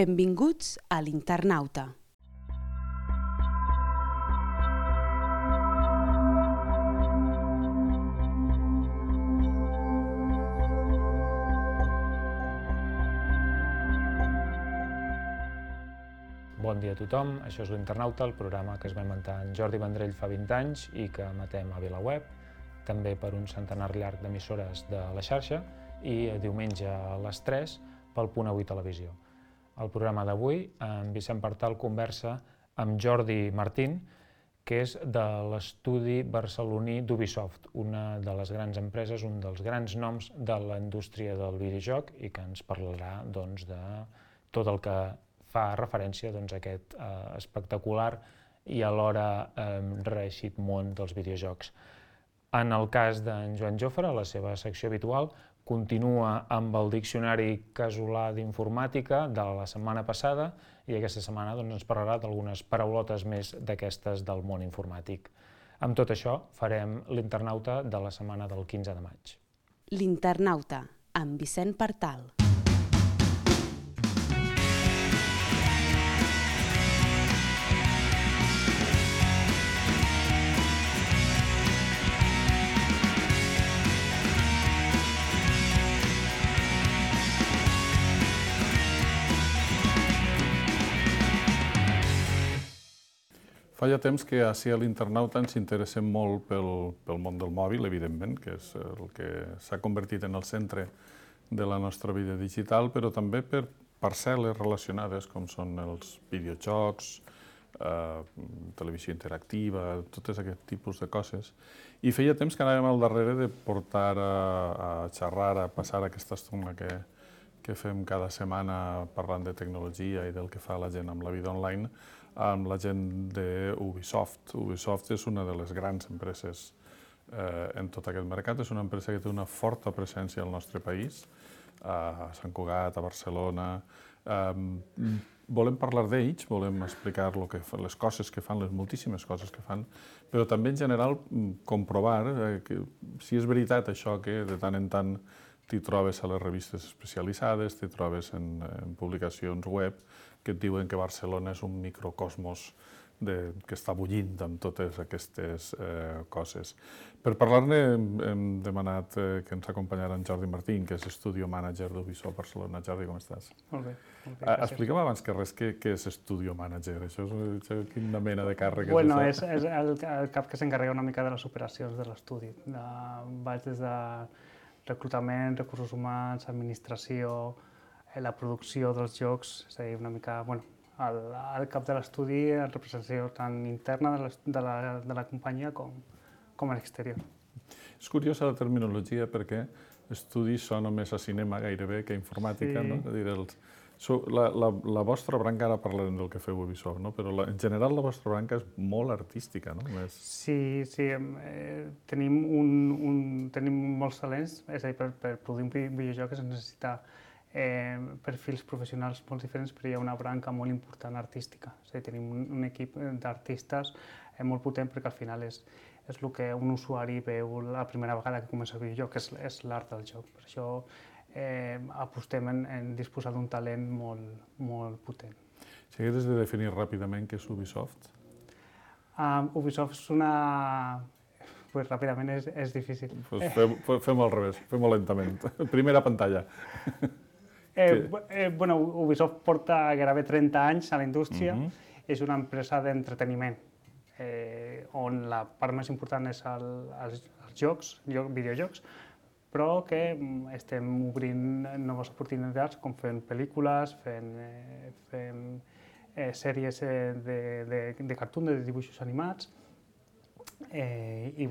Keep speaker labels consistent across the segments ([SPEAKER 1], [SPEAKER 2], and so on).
[SPEAKER 1] Benvinguts a l'Internauta.
[SPEAKER 2] Bon dia a tothom, això és l'Internauta, el programa que es va inventar en Jordi Vendrell fa 20 anys i que emetem a VilaWeb, també per un centenar llarg d'emissores de la xarxa i diumenge a les 3 pel Punt Avui Televisió. El programa d'avui, en Vicent Partal conversa amb Jordi Martín, que és de l'estudi barceloní d'Ubisoft, una de les grans empreses, un dels grans noms de la indústria del videojoc i que ens parlarà de tot el que fa referència a aquest espectacular i alhora reeixit món dels videojocs. En el cas d'en Joan Jofre, la seva secció habitual continua amb el diccionari casolà d'informàtica de la setmana passada i aquesta setmana ens parlarà d'algunes paraulotes més d'aquestes del món informàtic. Amb tot això farem l'Internauta de la setmana del 15 de maig.
[SPEAKER 1] L'Internauta, amb Vicent Partal.
[SPEAKER 3] Fa ja temps que ací a l'Internauta ens interessem molt pel món del mòbil, evidentment, que és el que s'ha convertit en el centre de la nostra vida digital, però també per parcel·les relacionades, com són els videojocs, televisió interactiva, tot aquest tipus de coses. I feia temps que anàvem al darrere de portar a xerrar, a passar aquesta estona que fem cada setmana parlant de tecnologia i del que fa la gent amb la vida online, amb la gent d'Ubisoft. Ubisoft és una de les grans empreses en tot aquest mercat. És una empresa que té una forta presència al nostre país, a Sant Cugat, a Barcelona. Volem parlar d'ells, volem explicar les coses que fan, les moltíssimes coses que fan, però també en general comprovar que si és veritat això que de tant en tant t'hi trobes a les revistes especialitzades, t'hi trobes en publicacions web que et diuen que Barcelona és un microcosmos que està bullint amb totes aquestes coses. Per parlar-ne hem demanat que ens acompanyara en Jordi Martín, que és Studio Manager d'Ubisoft Barcelona. Jordi, com estàs?
[SPEAKER 4] Molt bé, gràcies.
[SPEAKER 3] Explica'm abans que res què és Studio Manager. Això és quina mena de càrrec és
[SPEAKER 4] Bueno,
[SPEAKER 3] això?
[SPEAKER 4] és el cap que s'encarrega una mica de les operacions de l'estudi. Vaig des de reclutament, recursos humans, administració, la producció dels jocs, és a dir, una mica, al cap de l'estudi, la representació tant interna de la companyia com a l'exterior.
[SPEAKER 3] És curiosa la terminologia perquè estudi sona més a cinema gairebé que a informàtica, no? És a dir, la vostra branca, ara parlarem del que feu Ubisoft, no? Però en general la vostra branca és molt artística, no?
[SPEAKER 4] Sí, tenim molts talents, és a dir, per produir un videojoc es necessita perfils professionals molt diferents, però hi ha una branca molt important artística. És a dir, tenim un equip d'artistes molt potent perquè al final és el que un usuari veu la primera vegada que comença el videojoc, que és l'art del joc. Per això apostem en disposar d'un talent molt potent.
[SPEAKER 3] Si haguessis de definir ràpidament què és Ubisoft?
[SPEAKER 4] Ubisoft és una... Ràpidament és difícil.
[SPEAKER 3] Fem-ho al revés, fem-ho lentament. Primera pantalla.
[SPEAKER 4] Ubisoft porta gairebé 30 anys a la indústria. És una empresa d'entreteniment, on la part més important és els jocs, videojocs, però que estem obrint noves oportunitats com fent pel·lícules, fent sèries de cartoon, de dibuixos animats, i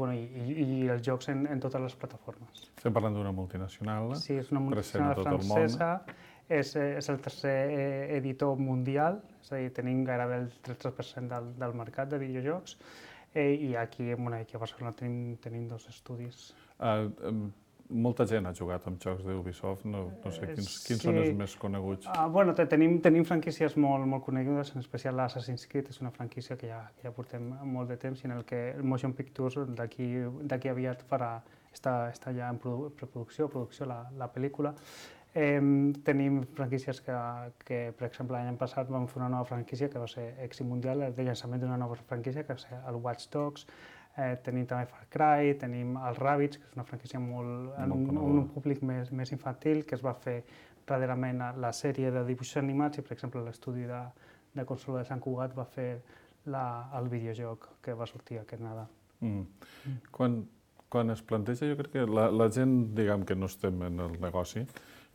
[SPEAKER 4] els jocs en totes les plataformes.
[SPEAKER 3] Estem parlant d'una multinacional,
[SPEAKER 4] sí, és una multinacional francesa, és el tercer editor mundial, és a dir, tenim gairebé el 13% del mercat de videojocs, i aquí a Barcelona tenim dos estudis.
[SPEAKER 3] Molta gent ha jugat amb jocs d'Ubisoft, no sé, quins són els més coneguts?
[SPEAKER 4] Tenim franquícies molt conegudes, en especial l'Assassin's Creed, és una franquícia que ja portem molt de temps i en el que el Motion Pictures d'aquí aviat està ja en preproducció, la pel·lícula. Tenim franquícies que, per exemple, l'any passat vam fer una nova franquícia que va ser èxit mundial, el llançament d'una nova franquícia que va ser el Watch Dogs. Tenim també Far Cry, tenim els Rabbids, que és una franquícia un públic més infantil, que es va fer darrerament la sèrie de dibuixos animats i, per exemple, l'estudi de consola de Sant Cugat va fer el videojoc que va sortir aquest Nadal.
[SPEAKER 3] Quan es planteja, jo crec que la gent, diguem que no estem en el negoci,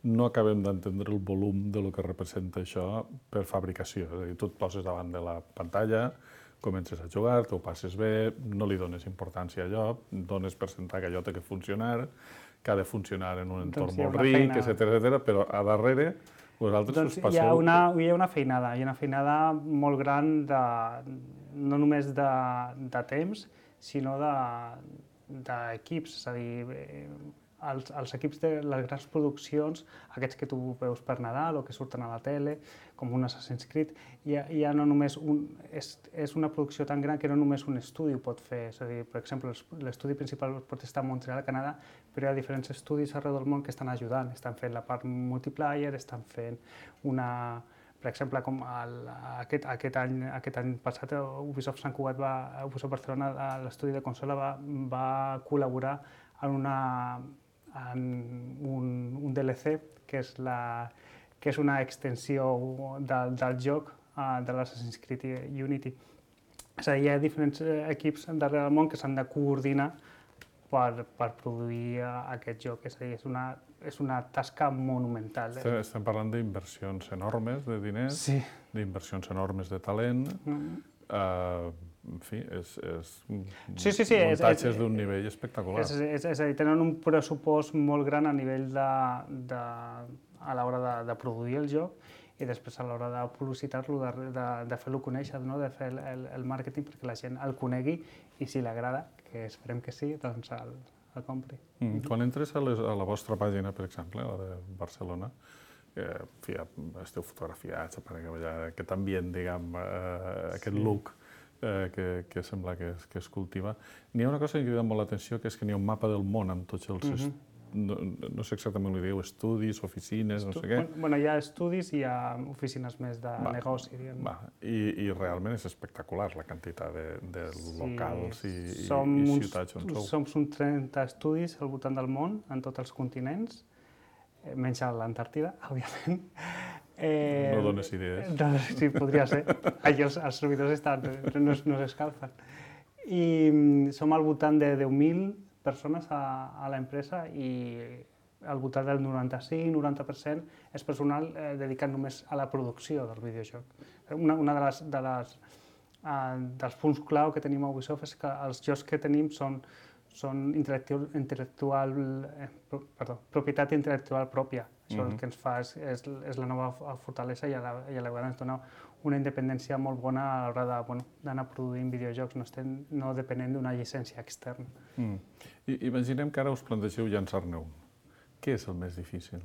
[SPEAKER 3] no acabem d'entendre el volum de lo que representa això per fabricació. És a dir, tu et poses davant de la pantalla, comences a jugar, t'ho passes bé, no li dones importància a allò, dones per sentar que allò té que funcionar, que ha de funcionar en un entorn molt ric, etcètera, però a darrere vosaltres us passeu...
[SPEAKER 4] Hi ha una feinada molt gran, no només de temps, sinó d'equips, és a dir, els equips de les grans produccions, aquests que tu veus per Nadal o que surten a la tele, com un Assassin's Creed, ja no només és una producció tan gran que no només un estudi ho pot fer. És a dir, per exemple, l'estudi principal pot estar a Montreal, Canadà, però hi ha diferents estudis arreu del món que estan ajudant, estan fent la part multiplayer, estan fent una... Per exemple, com aquest any passat, Ubisoft Sant Cugat, Ubisoft Barcelona, l'estudi de consola va col·laborar en un DLC, que és una extensió del joc de l'Assassin's Creed Unity. És a dir, hi ha diferents equips darrere del món que s'han de coordinar per produir aquest joc. És a dir, és una tasca monumental.
[SPEAKER 3] Estem parlant d'inversions enormes de diners, d'inversions enormes de talent. En fi, muntatges d'un nivell espectacular.
[SPEAKER 4] És a dir, tenen un pressupost molt gran a nivell a l'hora de produir el joc i després a l'hora de publicitar-lo, de fer-lo conèixer, de fer el màrqueting perquè la gent el conegui i si li agrada, que esperem que sí, doncs el compri.
[SPEAKER 3] Quan entres a la vostra pàgina, per exemple, la de Barcelona, esteu fotografiats, aquest ambient, diguem, aquest look que sembla que es cultiva. N'hi ha una cosa que crida molt l'atenció, que és que n'hi ha un mapa del món amb tots els... No sé exactament què diu, estudis, oficines, no sé què.
[SPEAKER 4] Bueno, hi ha estudis i hi ha oficines més de negoci, diguem.
[SPEAKER 3] I realment és espectacular la quantitat de locals i ciutats on sou.
[SPEAKER 4] Som uns 30 estudis al voltant del món, en tots els continents, menys a l'Antàrtida, òbviament.
[SPEAKER 3] No dones idees.
[SPEAKER 4] Sí, podria ser. Allà els servidors no s'escalfen. I som al voltant de 10.000 persones a l'empresa i al voltant del 95-90% és personal dedicat només a la producció del videojoc. Una dels punts clau que tenim a Ubisoft és que els jocs que tenim són propietat intel·lectual pròpia. Això el que ens fa és la nova fortalesa i a la vegada ens dona una independència molt bona a l'hora d'anar produint videojocs, no depenent d'una llicència externa.
[SPEAKER 3] Imaginem que ara us plantegeu llançar-ne un. Què és el més difícil?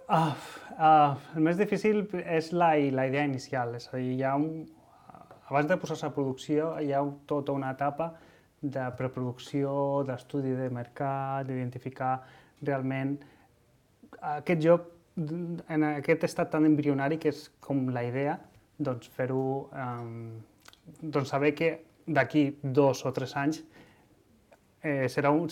[SPEAKER 4] El més difícil és la idea inicial, és a dir, abans de posar-se a producció hi ha tota una etapa de preproducció, d'estudi de mercat, d'identificar realment aquest joc en aquest estat tan embrionari que és com la idea, doncs fer-ho, doncs saber que d'aquí 2 o 3 anys serà un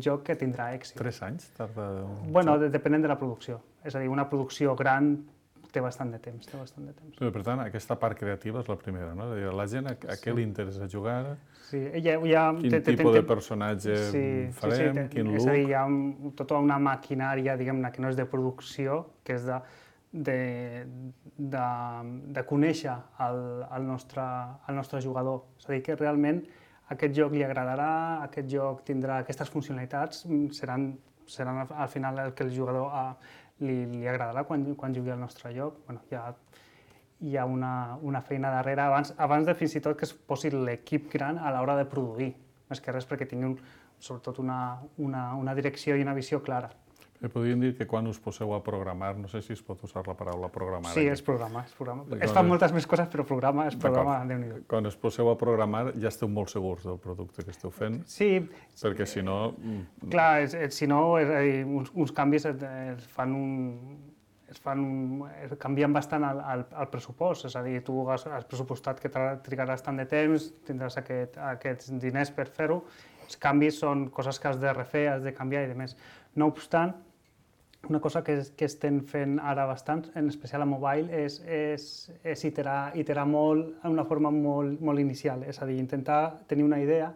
[SPEAKER 4] joc que tindrà èxit.
[SPEAKER 3] 3 anys tarda?
[SPEAKER 4] Bueno, depenent de la producció. És a dir, una producció gran té bastant de temps.
[SPEAKER 3] Per tant, aquesta part creativa és la primera, no? La gent a què li interessa jugar? Quin tipus de personatge farem? Quin look?
[SPEAKER 4] És a dir, hi ha tota una maquinària, diguem-ne, que no és de producció, que és de conèixer el nostre jugador. És a dir, que realment aquest joc li agradarà, aquest joc tindrà aquestes funcionalitats, seran al final el que el jugador li agradarà quan jugui al nostre joc. Hi ha una feina darrere abans de fins i tot que es posi l'equip gran a l'hora de produir, més que res perquè tinguin sobretot una direcció i una visió clara.
[SPEAKER 3] Podríem dir que quan us poseu a programar, no sé si es pot usar la paraula programar.
[SPEAKER 4] Sí, és programa. Es fan moltes més coses, però programa és programa, Déu-n'hi-do.
[SPEAKER 3] Quan es poseu a programar ja esteu molt segurs del producte que esteu fent,
[SPEAKER 4] Sí,
[SPEAKER 3] perquè si no...
[SPEAKER 4] clar, si no, és a dir, uns canvis canvien bastant el pressupost, és a dir, tu has pressupostat que trigaràs tant de temps, tindràs aquests diners per fer-ho, els canvis són coses que has de refer, has de canviar i demés. No obstant, una cosa que estem fent ara bastant, en especial a mobile, és iterar molt d'una forma molt inicial, és a dir, intentar tenir una idea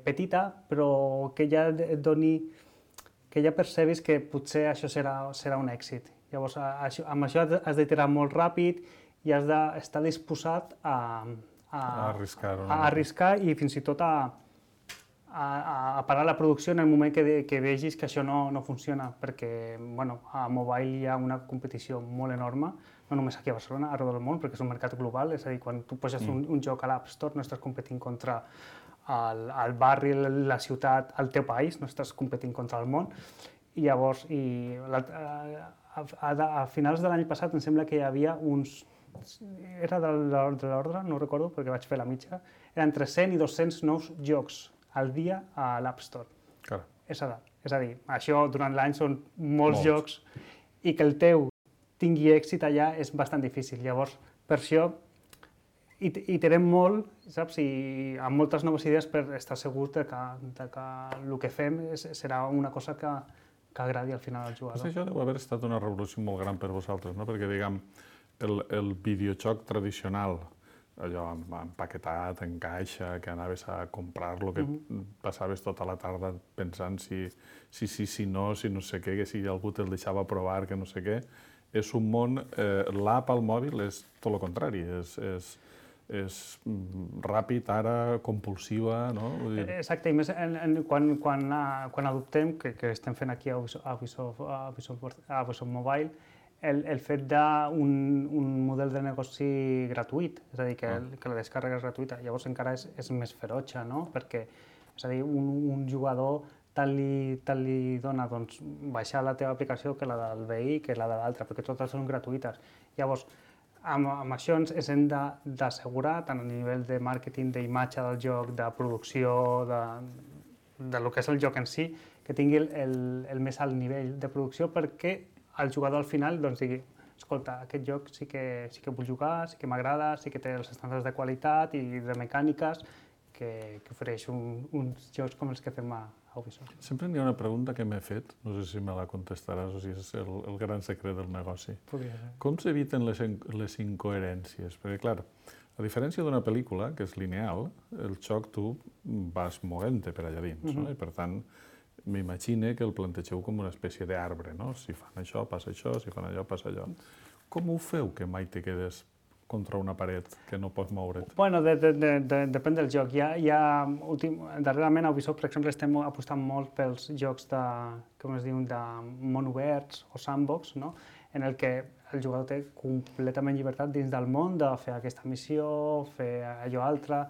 [SPEAKER 4] petita, però que ja et doni, que ja percebis que potser això serà un èxit. Llavors, amb això has d'iterar molt ràpid i has d'estar disposat a arriscar i fins i tot a parar la producció en el moment que vegis que això no funciona, perquè a mobile hi ha una competició molt enorme, no només aquí a Barcelona, arreu del món, perquè és un mercat global, és a dir, quan tu poses un joc a l'App Store no estàs competint contra el barri, la ciutat, el teu país, no estàs competint contra el món. I llavors, a finals de l'any passat em sembla que hi havia era de l'ordre, no ho recordo perquè vaig fer la mitja, eren entre 100 i 200 nous jocs al dia a l'App Store.
[SPEAKER 3] Clar.
[SPEAKER 4] És a dir, això durant l'any són molts jocs i que el teu tingui èxit allà és bastant difícil. Llavors, per això, iterem molt, saps? I amb moltes noves idees per estar segurs que el que fem serà una cosa que agradi al final al jugador.
[SPEAKER 3] Això deu haver estat una revolució molt gran per vosaltres, no? Perquè, diguem, el videojoc tradicional, allò empaquetat, en caixa, que anaves a comprar-lo, que passaves tota la tarda pensant si no sé què, que si algú te'l deixava provar, que no sé què, és un món... L'app al mòbil és tot el contrari, és ràpid, ara, compulsiva, no?
[SPEAKER 4] Exacte, i més quan adoptem, que estem fent aquí a Ubisoft Mobile, el fet d'un model de negoci gratuït, és a dir, que la descàrrega és gratuïta, llavors encara és més ferotge, no? Perquè, és a dir, un jugador tant li dona baixar la teva aplicació que la del veí, que la de l'altra, perquè totes són gratuïtes. Llavors, amb això ens hem d'assegurar, tant a nivell de màrqueting, d'imatge del joc, de producció, del que és el joc en si, que tingui el més alt nivell de producció perquè el jugador al final digui escolta, aquest joc sí que vull jugar, sí que m'agrada, sí que té els estàndards de qualitat i de mecàniques que ofereix uns jocs com els que fem a Ubisoft.
[SPEAKER 3] Sempre hi ha una pregunta que m'he fet, no sé si me la contestaràs o si és el gran secret del negoci.
[SPEAKER 4] Podria ser.
[SPEAKER 3] Com s'eviten les incoherències? Perquè, clar, a diferència d'una pel·lícula, que és lineal, el joc tu vas movent-te per allà dins, no? I per tant, m'imagine que el plantegeu com una espècie d'arbre, no? Si fan això, passa això, si fan allò, passa allò. Com ho feu que mai te quedes contra una paret que no pots moure't?
[SPEAKER 4] Bueno, depèn del joc. Darrerament a Ubisoft, per exemple, estem apostant molt pels jocs de món oberts o sandbox, no? En el que el jugador té completament llibertat dins del món de fer aquesta missió, fer allò altre,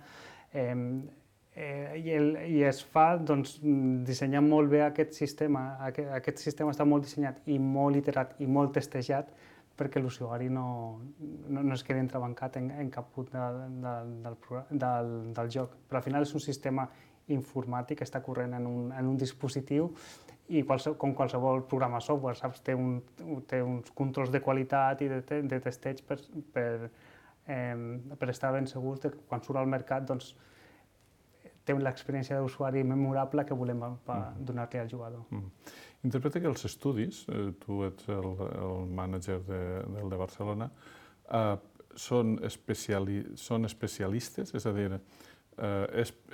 [SPEAKER 4] i es fa dissenyant molt bé aquest sistema. Aquest sistema està molt dissenyat i molt iterat i molt testejat perquè l'usuari no es quedi entrebancat en cap punt del joc. Però al final és un sistema informàtic que està corrent en un dispositiu i com qualsevol programa software, saps? Té uns controls de qualitat i de testeig per estar ben segurs que quan surt al mercat té l'experiència d'usuari memorable que volem donar-li al jugador.
[SPEAKER 3] Interpreta que els estudis, tu ets el mànager del de Barcelona, són especialistes? És a dir,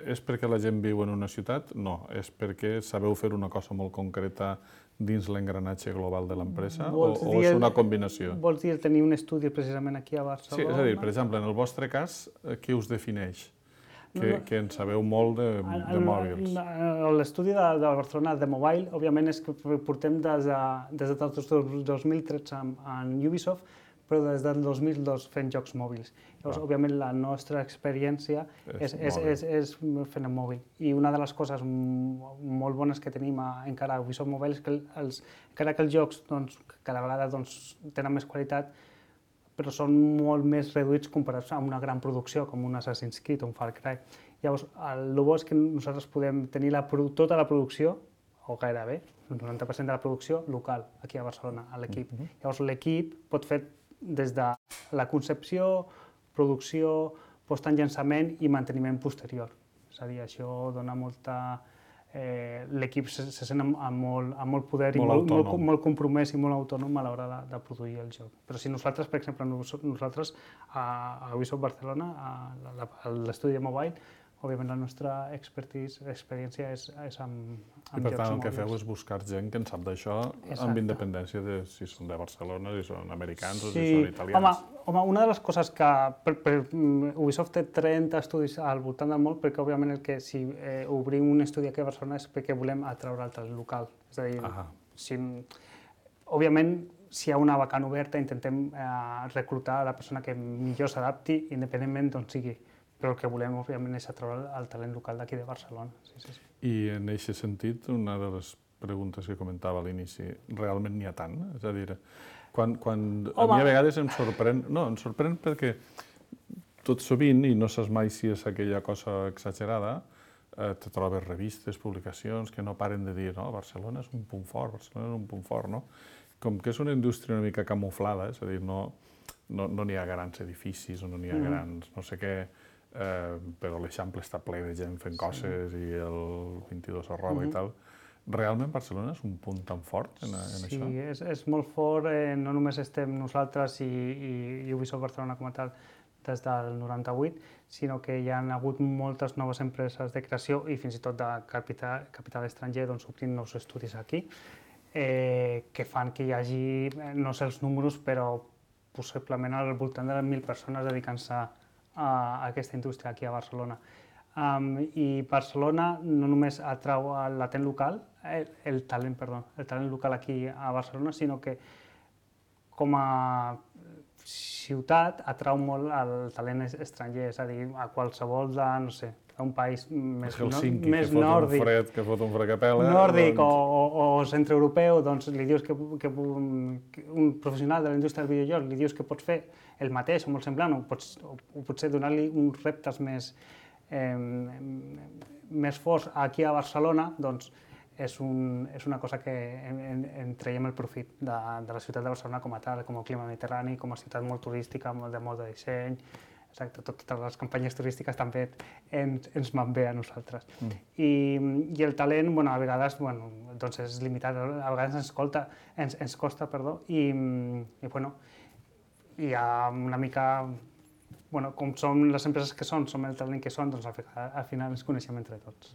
[SPEAKER 3] és perquè la gent viu en una ciutat? No, és perquè sabeu fer una cosa molt concreta dins l'engranatge global de l'empresa o és una combinació?
[SPEAKER 4] Vols dir tenir un estudi precisament aquí a Barcelona?
[SPEAKER 3] Sí, és a dir, per exemple, en el vostre cas, què us defineix? Que en sabeu molt de mòbils.
[SPEAKER 4] L'estudi de Barcelona de Mobile, òbviament, és que portem des de 2013 en Ubisoft, però des del 2002 fent jocs mòbils. Llavors, òbviament, la nostra experiència és fent en mòbil. I una de les coses molt bones que tenim encara a Ubisoft Mobile és que encara que els jocs cada vegada tenen més qualitat, però són molt més reduïts comparats amb una gran producció com un Assassin's Creed o un Far Cry. Llavors, el bo és que nosaltres podem tenir tota la producció, o gairebé, el 90% de la producció local, aquí a Barcelona, a l'equip. Llavors, l'equip pot fer des de la concepció, producció, post en llançament i manteniment posterior. És a dir, això dona molta... L'equip se sent amb molt poder i molt compromès i molt autònom a l'hora de produir el joc. Però si nosaltres, per exemple, nosaltres a Ubisoft Barcelona, a l'estudi de mobile, òbviament la nostra experiència és amb jocs mòbils.
[SPEAKER 3] I per tant el que feu és buscar gent que en sap d'això amb independència de si són de Barcelona, si són americans o si són italians.
[SPEAKER 4] Home, una de les coses que Ubisoft té 30 estudis al voltant del món, perquè òbviament si obrim un estudi aquí a Barcelona és perquè volem atraure el talent local. És a dir, òbviament, si hi ha una vacant oberta intentem reclutar la persona que millor s'adapti, independentment d'on sigui. Però el que volem, òbviament, és atraure el talent local d'aquí de Barcelona.
[SPEAKER 3] I en aquest sentit, una de les preguntes que comentava a l'inici, realment n'hi ha tant? És a dir, quan a mi a vegades em sorprèn... No, em sorprèn perquè tot sovint, i no saps mai si és aquella cosa exagerada, te trobes revistes, publicacions que no paren de dir no, Barcelona és un punt fort, Barcelona és un punt fort, no? Com que és una indústria una mica camuflada, és a dir, no n'hi ha grans edificis o no n'hi ha grans no sé què, però l'Eixample està ple de gent fent coses i el 22 a roba i tal. Realment Barcelona és un punt tan fort en això?
[SPEAKER 4] Sí, és molt fort. No només estem nosaltres i Ubisoft Barcelona com a tal des del 98, sinó que hi ha hagut moltes noves empreses de creació i fins i tot de capital estranger obrint nous estudis aquí, que fan que hi hagi, no sé els números, però possiblement al voltant de 1.000 persones dedicant-se a aquesta indústria aquí a Barcelona. I Barcelona no només atrau el talent local aquí a Barcelona, sinó que com a ciutat atrau molt el talent estranger, és a dir, a qualsevol d'un país més nòrdic,
[SPEAKER 3] que fot un fred que pela,
[SPEAKER 4] nòrdic o centreeuropeu, doncs li dius que un professional de la indústria del videojoc li dius que pots fer el mateix o molt semblant, o potser donar-li uns reptes més forts aquí a Barcelona, doncs és una cosa que en traiem el profit de la ciutat de Barcelona com a tal, com a clima mediterrani, com a ciutat molt turística, de molt de disseny. Exacte, totes les campanyes turístiques també ens van bé a nosaltres. I el talent, a vegades, és limitat, a vegades ens costa, i hi ha una mica, com som les empreses que som el talent que som, doncs al final ens coneixem entre tots.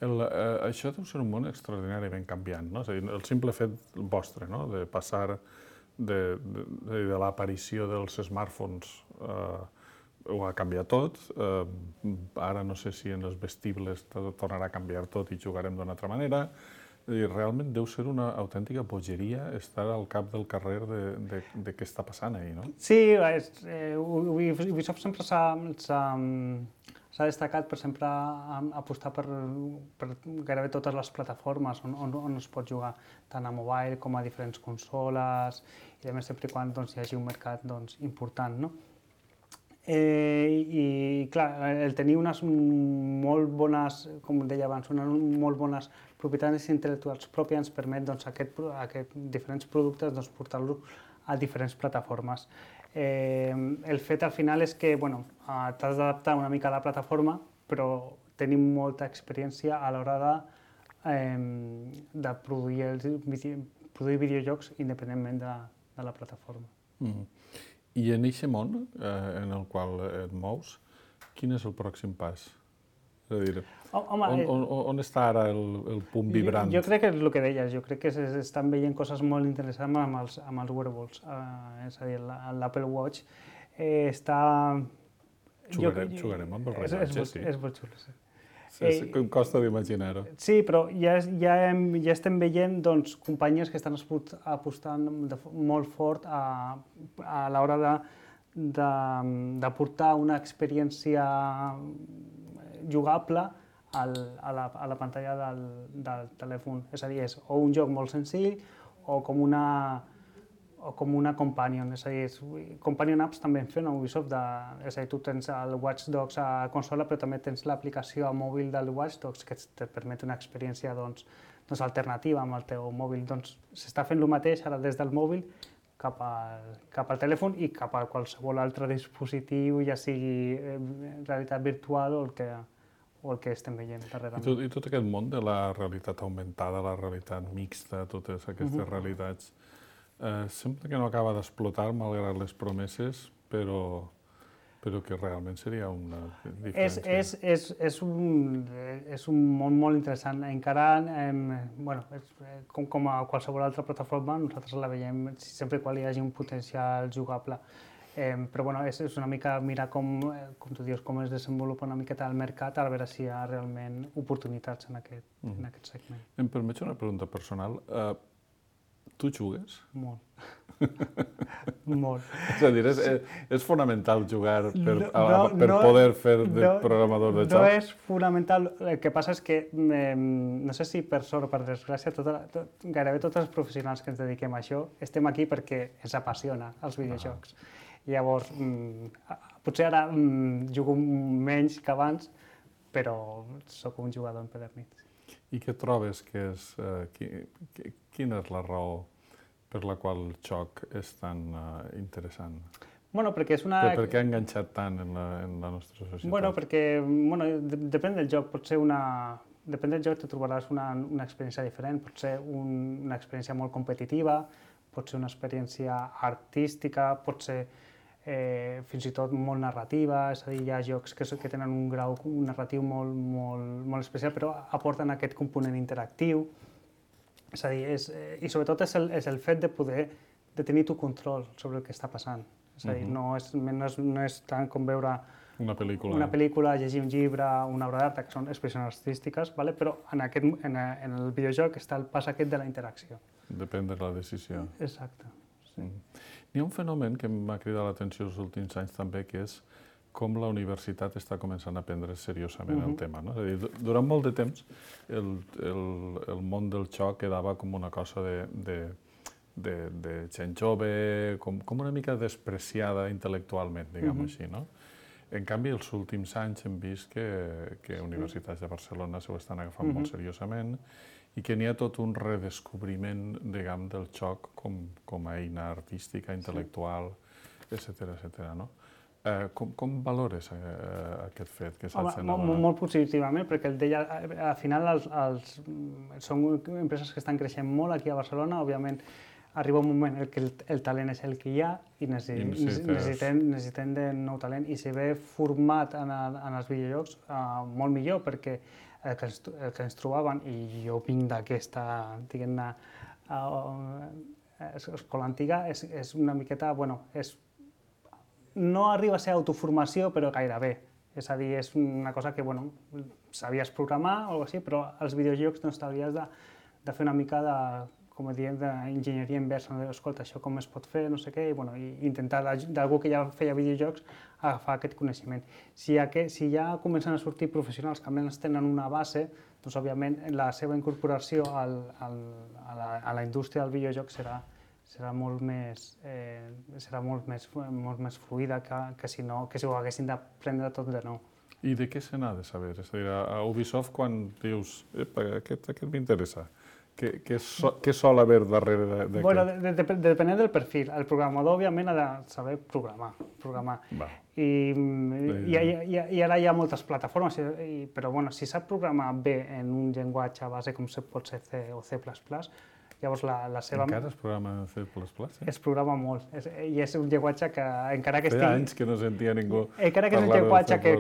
[SPEAKER 3] Això deu ser un món extraordinàriament canviant, no? És a dir, el simple fet vostre, no? De passar de l'aparició dels smartphones ho ha canviat tot. Ara no sé si en els vestibles tornarà a canviar tot i jugarem d'una altra manera. Realment deu ser una autèntica bogeria estar al cap del carrer de què està passant ahir, no?
[SPEAKER 4] Sí, Ubisoft sempre s'ha destacat per sempre apostar per gairebé totes les plataformes on es pot jugar, tant a mobile com a diferents consoles, i a més sempre quan hi hagi un mercat important, no? I clar, el tenir unes molt bones, com deia abans, unes molt bones propietats intel·lectuals pròpies ens permet aquests diferents productes portar-los a diferents plataformes. El fet al final és que t'has d'adaptar una mica a la plataforma, però tenim molta experiència a l'hora de produir videojocs independentment de la plataforma.
[SPEAKER 3] I en aquest món en el qual et mous, quin és el pròxim pas? És a dir, on està ara el punt vibrant?
[SPEAKER 4] Jo crec que és el que deies, jo crec que s'estan veient coses molt interessants amb els wearables. És a dir, l'Apple Watch està...
[SPEAKER 3] Jugarem amb el rellotge, sí.
[SPEAKER 4] És molt xulo, sí.
[SPEAKER 3] Em costa d'imaginar-ho.
[SPEAKER 4] Sí, però ja estem veient doncs, companyies que estan apostant molt fort a l'hora d'aportar una experiència jugable a la pantalla del telèfon. És a dir, és o un joc molt senzill o com una companion. És a dir, companion apps també en fan a Ubisoft. És a dir, tu tens el Watch Dogs a consola, però també tens l'aplicació mòbil del Watch Dogs que et permet una experiència alternativa amb el teu mòbil. S'està fent el mateix ara des del mòbil cap al telèfon i cap a qualsevol altre dispositiu, ja sigui realitat virtual o el que estem veient darrerament.
[SPEAKER 3] I tot aquest món de la realitat augmentada, la realitat mixta, totes aquestes realitats, sembla que no acaba d'explotar malgrat les promeses, però que realment seria una diferència.
[SPEAKER 4] És un món molt interessant. Encara, com a qualsevol altra plataforma, nosaltres la veiem sempre quan hi hagi un potencial jugable. Però és una mica mirar com tu dius, com es desenvolupa una miqueta el mercat, a veure si hi ha realment oportunitats en aquest segment.
[SPEAKER 3] Em permets una pregunta personal. Tu jugues?
[SPEAKER 4] Molt. Molt.
[SPEAKER 3] És a dir, és fonamental jugar per poder fer de programador de joc?
[SPEAKER 4] No és fonamental. El que passa és que, no sé si per sort o per desgràcia, gairebé tots els professionals que ens dediquem a això estem aquí perquè ens apassiona els videojocs. Llavors, potser ara jugo menys que abans, però sóc un jugador empedernit.
[SPEAKER 3] I què trobes que és... Quina és la raó per la qual el joc és tan interessant?
[SPEAKER 4] Perquè és una...
[SPEAKER 3] Per què ha enganxat tant en la nostra societat?
[SPEAKER 4] Perquè depèn del joc. Depèn del joc te trobaràs una experiència diferent. Pot ser una experiència molt competitiva, pot ser una experiència artística, pot ser fins i tot molt narrativa. És a dir, hi ha jocs que tenen un grau narratiu molt especial, però aporten aquest component interactiu. És a dir, i sobretot és el fet de tenir tu control sobre el que està passant. És a dir, no és tant com veure una pel·lícula, llegir un llibre, una obra d'art, que són expressions artístiques, però en el videojoc està el pas aquest de la interacció.
[SPEAKER 3] Depèn de la decisió.
[SPEAKER 4] Exacte.
[SPEAKER 3] Hi ha un fenomen que m'ha cridat l'atenció els últims anys també, que és com la universitat està començant a prendre seriosament el tema. És a dir, durant molt de temps el món del joc quedava com una cosa de gent jove, com una mica despreciada intel·lectualment, diguem-ho així. En canvi, els últims anys hem vist que universitats de Barcelona s'ho estan agafant molt seriosament i que n'hi ha tot un redescobriment, diguem, del joc com a eina artística, intel·lectual, etcètera. Com valores aquest fet que s'ha generat?
[SPEAKER 4] Molt positivament, perquè al final són empreses que estan creixent molt aquí a Barcelona. Òbviament, arriba un moment en què el talent és el que hi ha i necessitem de nou talent. I si ve format en els videojocs, molt millor, perquè el que ens trobaven, i jo vinc d'aquesta, diguem-ne, escola antiga, és una miqueta, no arriba a ser autoformació, però gairebé. És a dir, és una cosa que, sabies programar o alguna cosa així, però als videojocs t'hauries de fer una mica de, com diem, d'enginyeria inversa. Escolta, això com es pot fer, no sé què, i intentar d'algú que ja feia videojocs agafar aquest coneixement. Si ja comencen a sortir professionals que almenys tenen una base, doncs, òbviament, la seva incorporació a la indústria del videojoc serà molt més fluida que si ho haguessin d'aprendre tot de nou.
[SPEAKER 3] I de què se n'ha de saber? És a dir, a Ubisoft, quan dius, aquest m'interessa, què sol haver darrere d'aquest?
[SPEAKER 4] Depenent del perfil. El programador, òbviament, ha de saber programar. I ara hi ha moltes plataformes, però si sap programar bé en un llenguatge base com pot ser C o C++, llavors la seva...
[SPEAKER 3] Encara es programa en C++?
[SPEAKER 4] Es programa molt, i és un llenguatge que encara que
[SPEAKER 3] Feia anys que no sentia ningú
[SPEAKER 4] encara que és un llenguatge que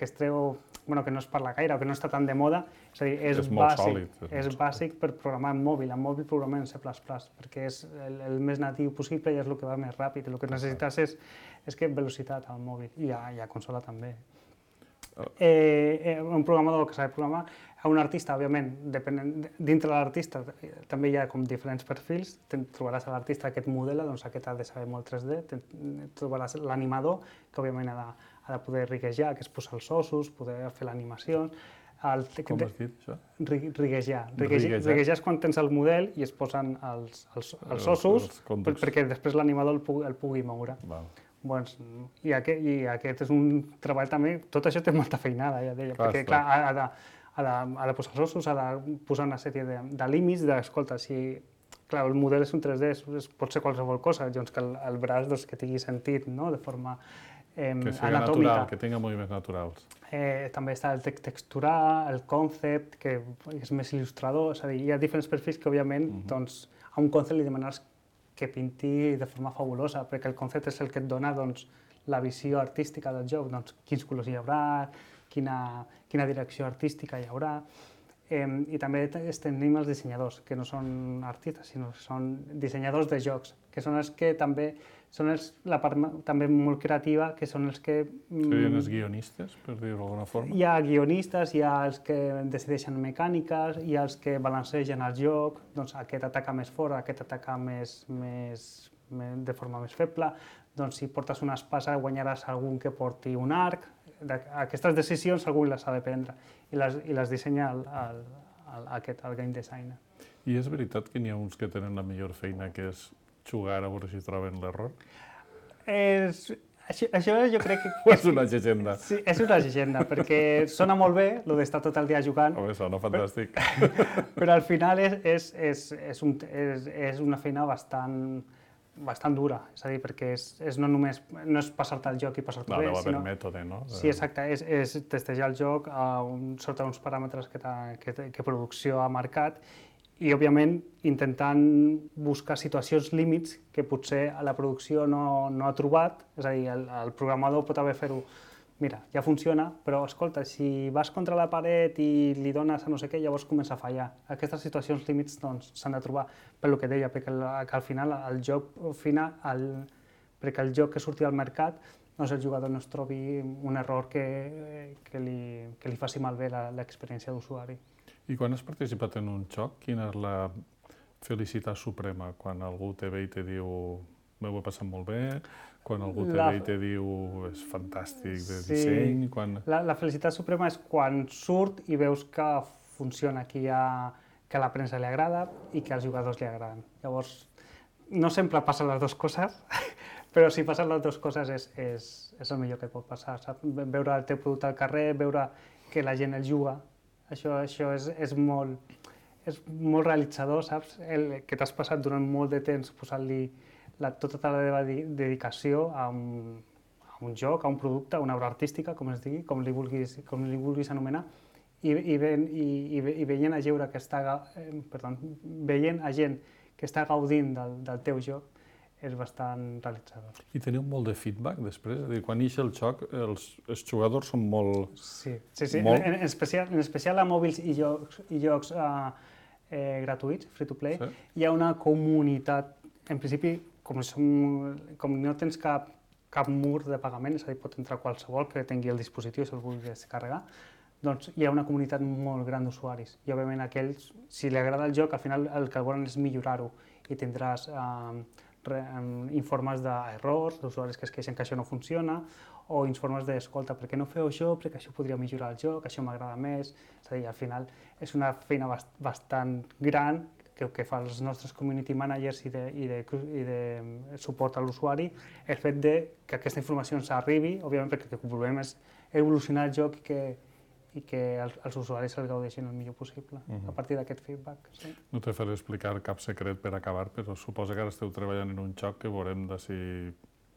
[SPEAKER 4] es treu, que no es parla gaire o que no està tan de moda, és a dir, és bàsic per programar en mòbil. En mòbil programem en C++, perquè és el més natiu possible i és el que va més ràpid. El que necessites és velocitat al mòbil i a consola també. Un programador que sap programar, un artista, òbviament, dintre de l'artista també hi ha com diferents perfils. Trobaràs a l'artista aquest modela, doncs aquest ha de saber molt 3D, trobaràs l'animador, que òbviament ha de poder riguejar, que és posar els ossos, poder fer l'animació.
[SPEAKER 3] Com has dit, això?
[SPEAKER 4] Riguejar. Riguejar és quan tens el model i es posen els ossos perquè després l'animador el pugui moure. I aquest és un treball també, tot això té molta feinada, ja deia, perquè clar, ha de posar els ossos, ha de posar una sèrie de límits, d'escolta, si clar, el model és un 3D, pot ser qualsevol cosa, doncs que el braç que tingui sentit, de forma
[SPEAKER 3] que sigui natural, que tingui moviments naturals.
[SPEAKER 4] També està el texturar, el concept, que és més il·lustrador, és a dir, hi ha diferents perfils que, òbviament, doncs, a un concept li demanaràs que pinti de forma fabulosa, perquè el concept és el que et dona la visió artística del joc, doncs quins colors hi haurà, quina direcció artística hi haurà. I també tenim els dissenyadors, que no són artistes, sinó que són dissenyadors de jocs, que són els que també són la part també molt creativa, que són els que...
[SPEAKER 3] Serien els guionistes, per dir-ho d'alguna forma?
[SPEAKER 4] Hi ha guionistes, hi ha els que decideixen mecàniques, hi ha els que balancegen el joc, doncs aquest ataca més fort, aquest ataca de forma més feble, doncs si portes una espasa guanyaràs algun que porti un arc. Aquestes decisions algú les ha de prendre i les dissenya el game designer.
[SPEAKER 3] I és veritat que n'hi ha uns que tenen la millor feina, que és jugar a veure si troben l'error?
[SPEAKER 4] Això jo crec que...
[SPEAKER 3] O és una llegenda?
[SPEAKER 4] Sí, és una llegenda, perquè sona molt bé, el d'estar tot el dia jugant.
[SPEAKER 3] Home, sona fantàstic.
[SPEAKER 4] Però al final és una feina bastant dura, és a dir, perquè no és passar-te el joc i passar-te bé,
[SPEAKER 3] sinó... No, deu haver mètode, no?
[SPEAKER 4] Sí, exacte, és testejar el joc sota uns paràmetres que producció ha marcat i, òbviament, intentant buscar situacions límits que potser la producció no ha trobat, és a dir, el programador pot haver fet-ho, mira, ja funciona, però, escolta, si vas contra la paret i li dones a no sé què, llavors comença a fallar. Aquestes situacions límits s'han de trobar, pel que deia, perquè al final perquè el joc que surti al mercat, doncs el jugador no es trobi un error que li faci malbé l'experiència d'usuari.
[SPEAKER 3] I quan has participat en un joc, quina és la felicitat suprema? Quan algú te ve i te diu m'ho he passat molt bé, quan algú te ve i te diu és fantàstic de disseny...
[SPEAKER 4] La felicitat suprema és quan surt i veus que funciona, que a la premsa li agrada i que als jugadors li agraden. Llavors, no sempre passen les dues coses, però si passen les dues coses és el millor que et pot passar. Veure el teu producte al carrer, veure que la gent el juga, això és molt realitzador, saps? Que t'has passat durant molt de temps posant-li tota la teva dedicació a un joc, a un producte, a una obra artística, com es digui, com li vulguis anomenar, i veient a gent que està gaudint del teu joc, és bastant realitzador.
[SPEAKER 3] I teniu molt de feedback després? És a dir, quan ix el joc, els jugadors són molt...
[SPEAKER 4] Sí. En especial a mòbils i jocs gratuïts, free-to-play, hi ha una comunitat, en principi, com no tens cap mur de pagament, és a dir, pot entrar qualsevol que tingui el dispositiu, si el vulgui descarregar, doncs hi ha una comunitat molt gran d'usuaris. I, òbviament, aquells, si li agrada el joc, al final el que volen és millorar-ho i tindràs informes d'errors, d'usuaris que es queixen que això no funciona, o informes d'escolta, per què no feu això, perquè això podria millorar el joc, això m'agrada més. És a dir, al final és una feina bastant gran que fan els nostres community managers i de suport a l'usuari, el fet que aquesta informació ens arribi, òbviament perquè el que volem és evolucionar el joc i que els usuaris el gaudeixin el millor possible, a partir d'aquest feedback.
[SPEAKER 3] No te faré explicar cap secret per acabar, però suposo que ara esteu treballant en un joc que veurem d'ací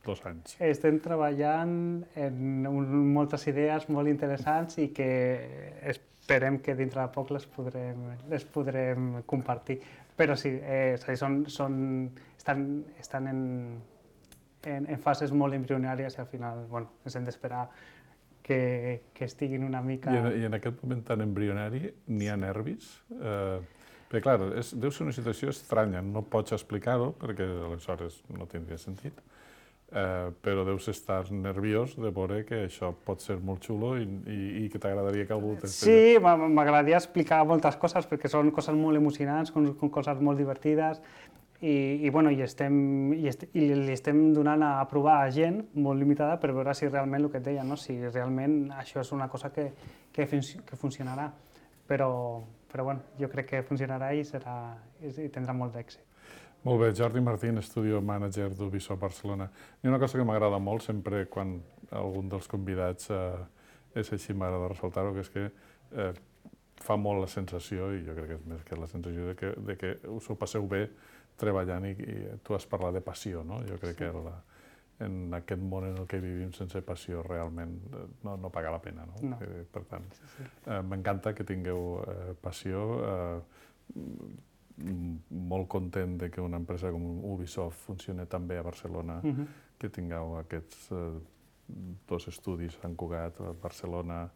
[SPEAKER 3] 2 anys.
[SPEAKER 4] Estem treballant en moltes idees molt interessants i que esperem que dintre de poc les podrem compartir. Però sí, estan en fases molt embrionàries i al final ens hem d'esperar que estiguin una mica...
[SPEAKER 3] I en aquest moment tan embrionari n'hi ha nervis? Perquè, clar, deu ser una situació estranya, no pots explicar-ho perquè aleshores no tindria sentit, però deus estar nerviós de veure que això pot ser molt xulo i que t'agradaria que algú
[SPEAKER 4] Sí, m'agradaria explicar moltes coses perquè són coses molt emocionants, coses molt divertides i li estem donant a provar a gent molt limitada per veure si realment el que et deia, si realment això és una cosa que funcionarà. Però jo crec que funcionarà i tindrà molt d'èxit.
[SPEAKER 3] Molt bé, Jordi Martín, Studio Manager d'Ubisoft Barcelona. I una cosa que m'agrada molt sempre quan algun dels convidats és així, m'agrada ressaltar-ho, que és que fa molt la sensació, i jo crec que és més que la sensació, de que us ho passeu bé treballant i tu has parlat de passió, no? Jo crec que en aquest món en el que vivim sense passió realment no paga la pena, no? Per tant, m'encanta que tingueu passió, molt content que una empresa com Ubisoft funcioni tan bé a Barcelona, que tingueu aquests 2 estudis a Sant Cugat, a Barcelona,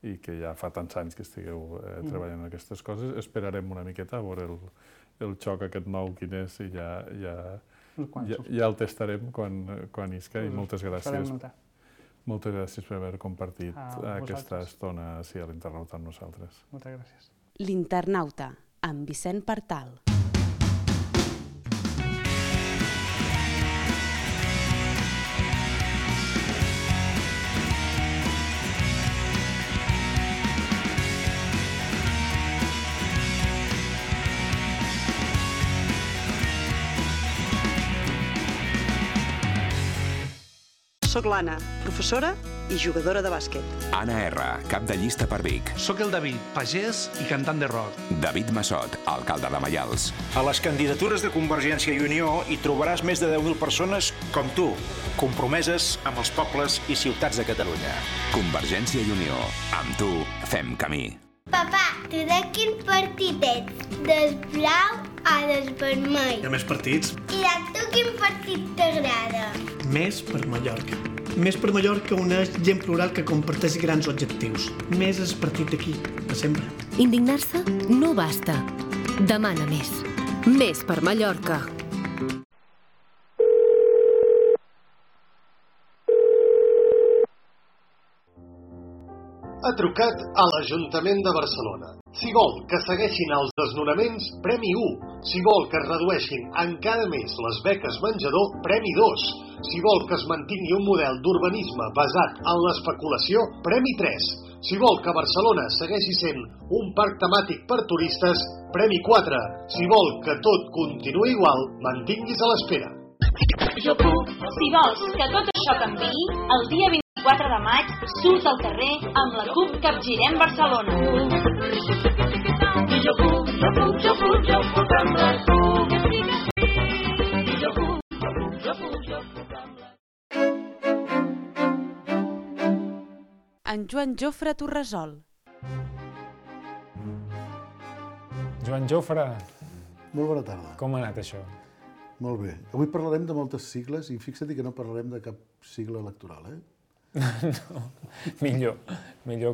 [SPEAKER 3] i que ja fa tants anys que estigueu treballant en aquestes coses. Esperarem una miqueta a veure el xoc aquest nou quin és i ja el testarem quan isca, i moltes gràcies. Moltes gràcies per haver compartit aquesta estona a l'Internauta amb nosaltres.
[SPEAKER 4] Moltes gràcies.
[SPEAKER 1] L'Internauta, amb Vicent Partal.
[SPEAKER 5] Soc l'Anna, professora i jugadora de bàsquet.
[SPEAKER 6] Anna R, cap de llista per Vic.
[SPEAKER 7] Soc el David, pagès i cantant de rock.
[SPEAKER 6] David Massot, alcalde de Maials.
[SPEAKER 8] A les candidatures de Convergència i Unió hi trobaràs més de 10.000 persones com tu, compromeses amb els pobles i ciutats de Catalunya.
[SPEAKER 6] Convergència i Unió. Amb tu fem camí.
[SPEAKER 9] Papà, tu de quin partit ets? Del blau o del vermell?
[SPEAKER 7] Hi ha més partits?
[SPEAKER 9] I a tu quin partit t'agrada?
[SPEAKER 7] Més per Mallorca. Més per Mallorca uneix gent plural que comparteix grans objectius. Més és partit d'aquí, de sempre.
[SPEAKER 10] Indignar-se no basta. Demana més. Més per Mallorca.
[SPEAKER 11] Ha trucat a l'Ajuntament de Barcelona. Si vol que segueixin els desnonaments, Premi 1. Si vol que es redueixin encara més les beques menjador, Premi 2. Si vol que es mantingui un model d'urbanisme basat en l'especulació, Premi 3. Si vol que Barcelona segueixi sent un parc temàtic per turistes, Premi 4. Si vol que tot continuï igual, mantinguis a l'espera.
[SPEAKER 12] Jo puc. Si vols que tot això canviï, el dia 24 de maig surt al carrer amb la CUP Capgirem Barcelona. Jo puc amb la CUP. Jo puc amb la
[SPEAKER 1] En Joan Jofre Torresol.
[SPEAKER 2] Joan Jofre.
[SPEAKER 13] Molt bona tarda.
[SPEAKER 2] Com ha anat això?
[SPEAKER 13] Molt bé. Avui parlarem de moltes sigles i fixa't que no parlarem de cap sigla electoral,
[SPEAKER 2] No, millor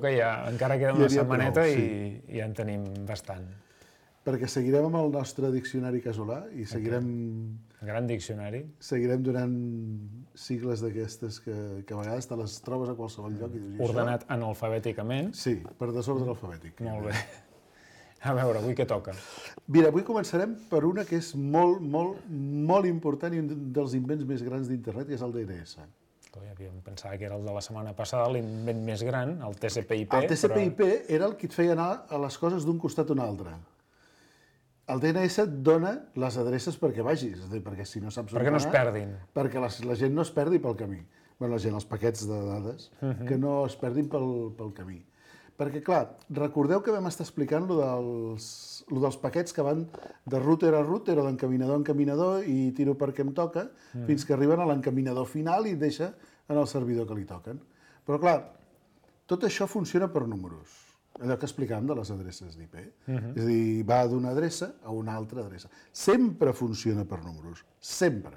[SPEAKER 2] que ja encara queda una setmaneta i ja en tenim bastant.
[SPEAKER 13] Perquè seguirem amb el nostre diccionari casolà i seguirem...
[SPEAKER 2] Gran diccionari.
[SPEAKER 13] Seguirem donant sigles d'aquestes que a vegades te les trobes a qualsevol lloc.
[SPEAKER 2] Ordenat analfabèticament.
[SPEAKER 13] Sí, per desordre alfabètic.
[SPEAKER 2] Molt bé. A veure, avui què toca?
[SPEAKER 13] Mira, avui començarem per una que és molt important i un dels invents més grans d'internet, que és el DNS.
[SPEAKER 2] Havíem pensat que era el de la setmana passada, l'invent més gran, el TCP/IP.
[SPEAKER 13] El TCP/IP era el que et feia anar a les coses d'un costat a un altre. El DNS et dona les adreces perquè vagis, perquè si no saps on anar...
[SPEAKER 2] Perquè no es perdin.
[SPEAKER 13] Perquè la gent no es perdi pel camí. Bé, la gent, els paquets de dades, que no es perdin pel camí. Perquè, clar, recordeu que vam estar explicant lo dels paquets que van de router a router o d'encaminador a encaminador i tiro perquè em toca, fins que arriben a l'encaminador final i deixa en el servidor que li toquen. Però, clar, tot això funciona per números. Allò que explicàvem de les adreces d'IP. És a dir, va d'una adreça a una altra adreça. Sempre funciona per números. Sempre.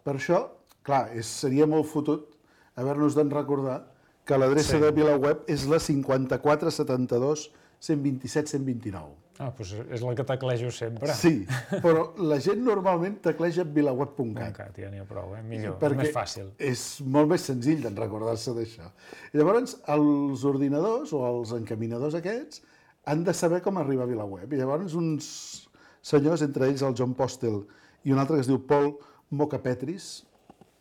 [SPEAKER 13] Per això, clar, seria molt fotut haver-nos d'en recordar que l'adreça de VilaWeb és la 5472.127.129.
[SPEAKER 2] Doncs és la que teclejo sempre.
[SPEAKER 13] Sí, però la gent normalment tecleja vilaweb.cat.
[SPEAKER 2] Ja n'hi ha prou, millor,
[SPEAKER 13] més
[SPEAKER 2] fàcil.
[SPEAKER 13] És molt més senzill d'en recordar-se d'això. Llavors, els ordinadors o els encaminadors aquests han de saber com arribar a VilaWeb. I llavors uns senyors, entre ells el John Postel i un altre que es diu Paul Mokapetris,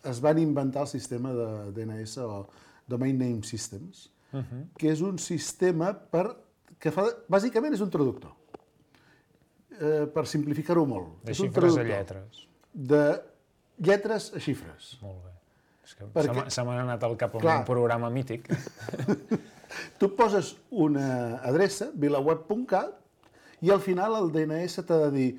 [SPEAKER 13] es van inventar el sistema de DNS o Domain Name Systems, que és un sistema que fa... Bàsicament és un traductor. Per simplificar-ho molt.
[SPEAKER 2] De xifres a lletres.
[SPEAKER 13] De lletres a xifres.
[SPEAKER 2] Molt bé. És que se m'ha anat al cap un programa mític.
[SPEAKER 13] Tu poses una adreça, vilaweb.cat, i al final el DNS t'ha de dir,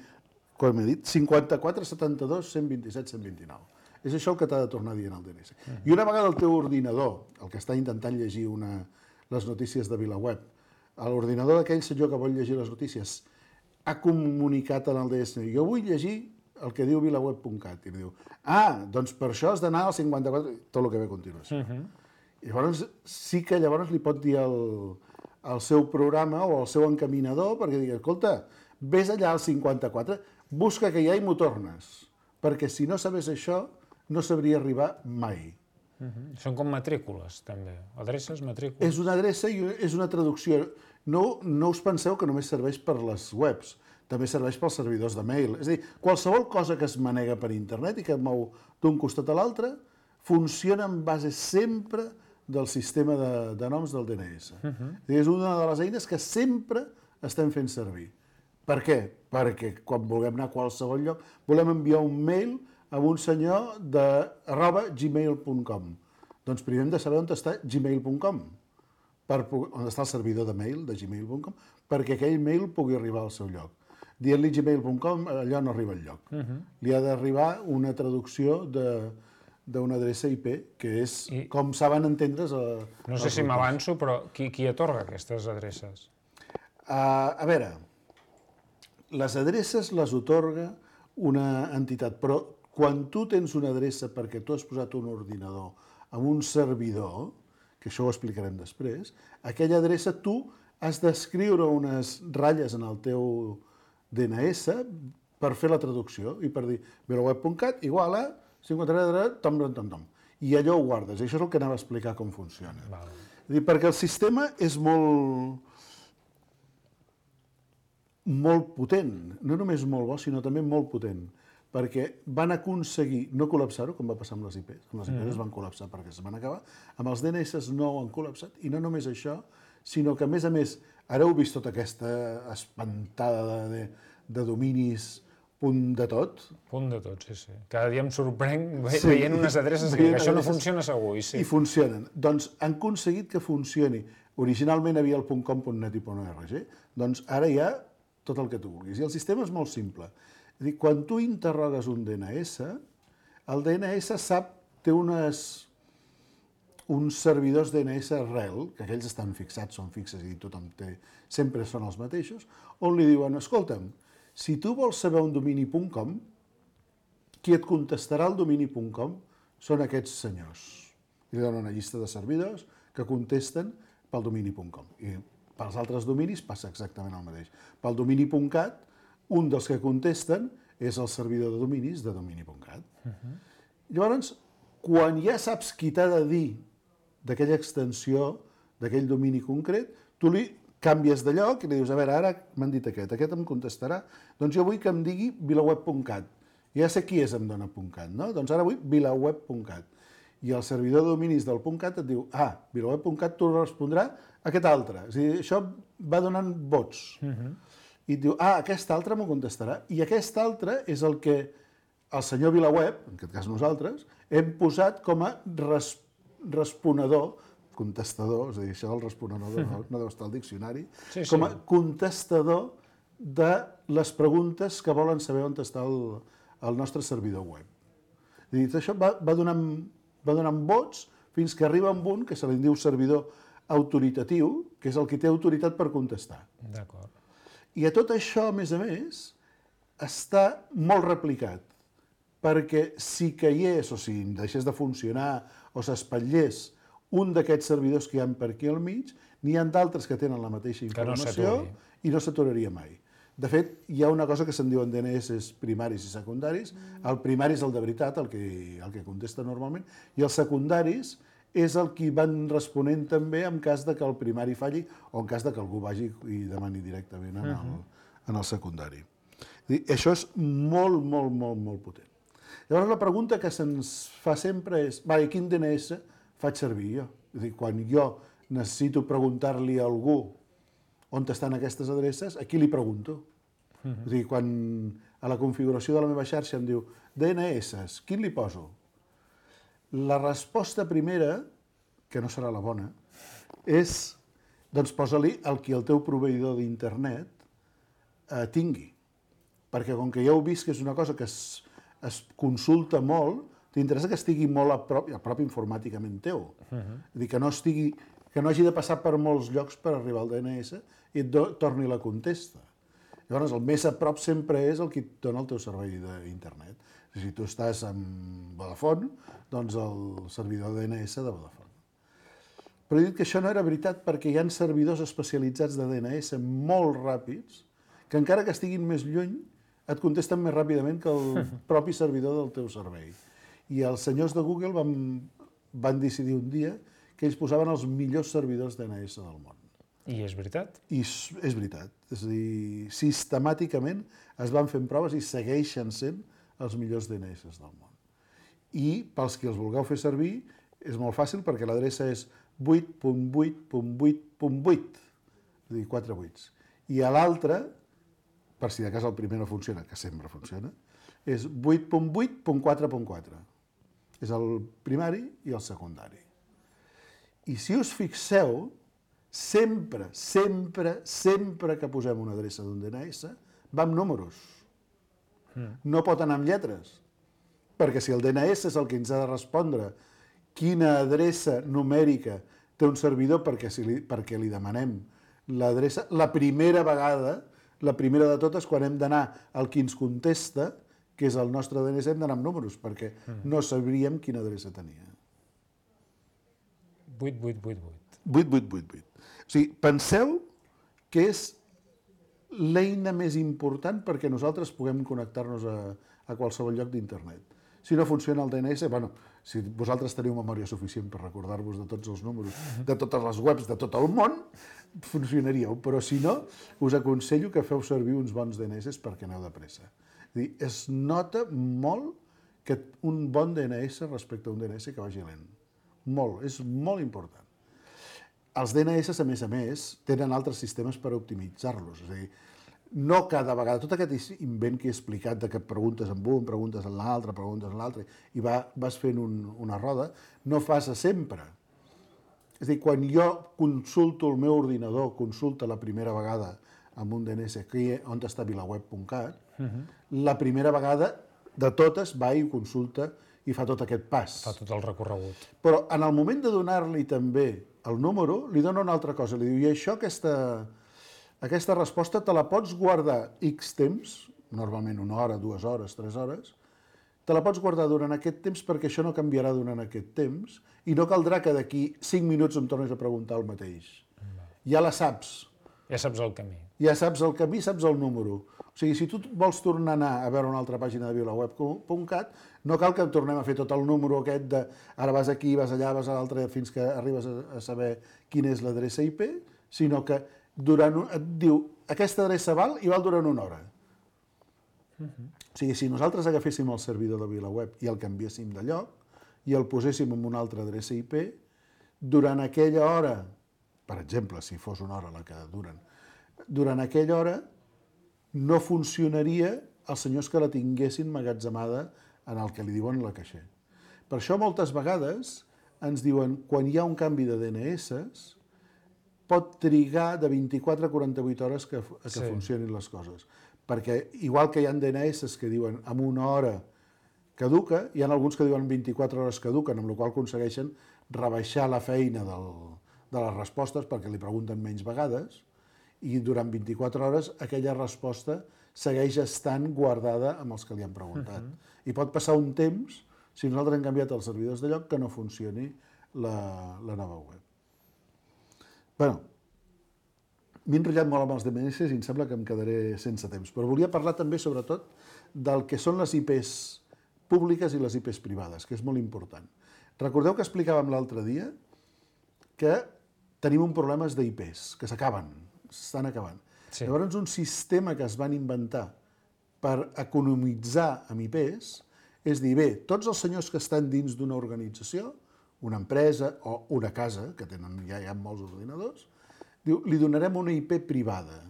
[SPEAKER 13] com he dit, 54 72 127 129. És això el que t'ha de tornar dient el DNS. I una vegada el teu ordinador, el que està intentant llegir les notícies de VilaWeb, l'ordinador d'aquell senyor que vol llegir les notícies ha comunicat en el DNS, jo vull llegir el que diu vilaweb.cat, i diu, doncs per això has d'anar al 54, tot el que ve a continuació. Llavors, sí que llavors li pot dir al seu programa o al seu encaminador, perquè digui, escolta, vés allà al 54, busca que hi ha i m'ho tornes, perquè si no sabés això, no sabria arribar mai.
[SPEAKER 2] Són com matrícules, també. Adreces, matrícules.
[SPEAKER 13] És una adreça i és una traducció. No us penseu que només serveix per les webs, també serveix pels servidors de mail. És a dir, qualsevol cosa que es manega per internet i que et mou d'un costat a l'altre, funciona en base sempre del sistema de noms del DNS. És una de les eines que sempre estem fent servir. Per què? Perquè quan vulguem anar a qualsevol lloc, volem enviar un mail a un senyor @gmail.com. Doncs primer hem de saber on està gmail.com, on està el servidor de mail de gmail.com, perquè aquell mail pugui arribar al seu lloc. Dient-li gmail.com, allò no arriba al lloc. Li ha d'arribar una traducció d'una adreça IP, que és com saben entendre's...
[SPEAKER 2] No sé si m'avanço, però qui atorga aquestes adreces?
[SPEAKER 13] A veure, les adreces les atorga una entitat, però quan tu tens una adreça perquè tu has posat un ordinador amb un servidor, que això ho explicarem després, aquella adreça tu has d'escriure unes ratlles en el teu DNS per fer la traducció i per dir vilaweb.cat igual a 53, tom. I allò ho guardes. I això és el que anava a explicar com funciona. Perquè el sistema és molt potent. No només molt bo, sinó també molt potent. Perquè van aconseguir no col·lapsar-ho, com va passar amb les IPs. Amb les IPs es van col·lapsar perquè es van acabar. Amb els DNS no ho han col·lapsat. I no només això, sinó que, a més, ara heu vist tota aquesta espantada de dominis punt de tot.
[SPEAKER 2] Punt de tot, sí. Cada dia em sorprenc veient unes adreces que això no funciona segur.
[SPEAKER 13] I funcionen. Doncs han aconseguit que funcioni. Originalment havia el .com.net i .org. Doncs ara hi ha tot el que tu vulguis. I el sistema és molt simple. És a dir, quan tu interrogues un DNS, el DNS té uns servidors DNS rel, que aquells estan fixats, són fixes i tothom té, sempre són els mateixos, on li diuen, escolta'm, si tu vols saber un domini.com, qui et contestarà el domini.com són aquests senyors. I li donen una llista de servidors que contesten pel domini.com. I pels altres dominis passa exactament el mateix. Pel domini.cat, un dels que contesten és el servidor de dominis de domini.cat. Llavors, quan ja saps qui t'ha de dir d'aquella extensió, d'aquell domini concret, tu li canvies de lloc i li dius, a veure, ara m'han dit aquest em contestarà, doncs jo vull que em digui vilaweb.cat. Ja sé qui és em dona .cat, no? Doncs ara vull vilaweb.cat. I el servidor de dominis del .cat et diu, vilaweb.cat t'ho respondrà aquest altre. És a dir, això va donant vots. I et diu, aquest altre m'ho contestarà. I aquest altre és el que el senyor VilaWeb, en aquest cas nosaltres, hem posat com a responedor, contestador, és a dir, això del responedor no deu estar al diccionari, com a contestador de les preguntes que volen saber on està el nostre servidor web. És a dir, això va donant vots fins que arriba amb un que se li diu servidor autoritatiu, que és el que té autoritat per contestar.
[SPEAKER 2] D'acord.
[SPEAKER 13] I a tot això, a més, està molt replicat, perquè si caigués o si deixés de funcionar o s'espatllés un d'aquests servidors que hi ha per aquí al mig, n'hi ha d'altres que tenen la mateixa informació i no s'aturaria mai. De fet, hi ha una cosa que se'n diuen DNS primaris i secundaris. El primari és el de veritat, el que contesta normalment, i els secundaris és el que van responent també en cas de que el primari falli o en cas de que algú vagi i demani directament en el secundari. Això és molt, molt, molt, molt potent. Llavors la pregunta que se'ns fa sempre és quin DNS faig servir jo? És a dir, quan jo necessito preguntar-li a algú on estan aquestes adreces, a qui li pregunto? És a dir, quan a la configuració de la meva xarxa em diu DNS, quin li poso? La resposta primera, que no serà la bona, és, doncs posa-li el que el teu proveïdor d'internet tingui. Perquè com que ja heu vist que és una cosa que es consulta molt, t'interessa que estigui molt a prop informàticament teu. És a dir, que no hagi de passar per molts llocs per arribar al DNS i et torni la contesta. Llavors, el més a prop sempre és el que et dona el teu servei d'internet. Si tu estàs amb Vodafone, doncs el servidor DNS de Vodafone. Però he dit que això no era veritat perquè hi ha servidors especialitzats de DNS molt ràpids que encara que estiguin més lluny et contesten més ràpidament que el propi servidor del teu servei. I els senyors de Google van decidir un dia que ells posaven els millors servidors DNS del món.
[SPEAKER 2] I és veritat?
[SPEAKER 13] I és veritat. És a dir, sistemàticament es van fent proves i segueixen sent els millors DNS del món. I pels que els vulgueu fer servir és molt fàcil perquè l'adreça és 8.8.8.8, és a dir, 4 8. I a l'altre, per si de cas el primer no funciona, que sempre funciona, és 8.8.4.4. És el primari i el secundari. I si us fixeu, sempre que posem una adreça d'un DNS, va amb números. No pot anar amb lletres. Perquè si el DNS és el que ens ha de respondre quina adreça numèrica té un servidor perquè li demanem l'adreça, la primera vegada, la primera de totes, quan hem d'anar al qui ens contesta, que és el nostre DNS, hem d'anar amb números, perquè no sabríem quina adreça tenia.
[SPEAKER 2] 8888.
[SPEAKER 13] 8888. O sigui, penseu que és l'eina més important perquè nosaltres puguem connectar-nos a qualsevol lloc d'internet. Si no funciona el DNS, si vosaltres teniu memòria suficient per recordar-vos de tots els números, de totes les webs de tot el món, funcionaríeu. Però si no, us aconsello que feu servir uns bons DNS perquè aneu de pressa. Es nota molt que un bon DNS respecte a un DNS que vagi lent. Molt, és molt important. Els DNS, a més, tenen altres sistemes per optimitzar-los. És a dir, no cada vegada, tot aquest invent que he explicat de que preguntes amb un, preguntes en l'altre, i vas fent una roda, no fas sempre. És a dir, quan jo consulto el meu ordinador, consulta la primera vegada amb un DNS on està vilaweb.cat, la primera vegada de totes va i consulta i fa tot aquest pas.
[SPEAKER 2] Fa tot el recorregut.
[SPEAKER 13] Però en el moment de donar-li també el número, li dona una altra cosa. Li diu, i això, aquesta resposta te la pots guardar X temps, normalment 1 hora, 2 hores, 3 hores, te la pots guardar durant aquest temps perquè això no canviarà durant aquest temps i no caldrà que d'aquí 5 minuts em tornis a preguntar el mateix. Ja la saps.
[SPEAKER 2] Ja saps el camí.
[SPEAKER 13] Ja saps el camí, saps el número. O sigui, si tu vols tornar a anar a veure una altra pàgina de vilaweb.cat, no cal que tornem a fer tot el número aquest de ara vas aquí, vas allà, vas a l'altre, fins que arribes a saber quina és l'adreça IP, sinó que et diu aquesta adreça val i val durant 1 hora. O sigui, si nosaltres agaféssim el servidor de VilaWeb i el canviéssim de lloc i el poséssim en una altra adreça IP, durant aquella hora, per exemple, si fos 1 hora la que duren, durant aquella hora no funcionaria els senyors que la tinguessin magatzemada en el que li diuen la caixer. Per això moltes vegades ens diuen quan hi ha un canvi de DNS pot trigar de 24 a 48 hores que funcionin les coses. Perquè igual que hi ha DNS que diuen en 1 hora caduca, hi ha alguns que diuen 24 hores caduquen, amb la qual cosa aconsegueixen rebaixar la feina de les respostes perquè li pregunten menys vegades i durant 24 hores aquella resposta segueix estant guardada amb els que li han preguntat. I pot passar un temps, si nosaltres hem canviat els servidors de lloc, que no funcioni la nova web. Bé, M'he enrotllat molt amb els DNS i em sembla que em quedaré sense temps, però volia parlar també, sobretot, del que són les IPs públiques i les IPs privades, que és molt important. Recordeu que explicàvem l'altre dia que tenim un problema d'IPs, que s'estan acabant. Sí. Llavors, un sistema que es van inventar per economitzar amb IPs és dir, bé, tots els senyors que estan dins d'una organització, una empresa o una casa, que ja hi ha molts ordinadors, diu, li donarem una IP privada,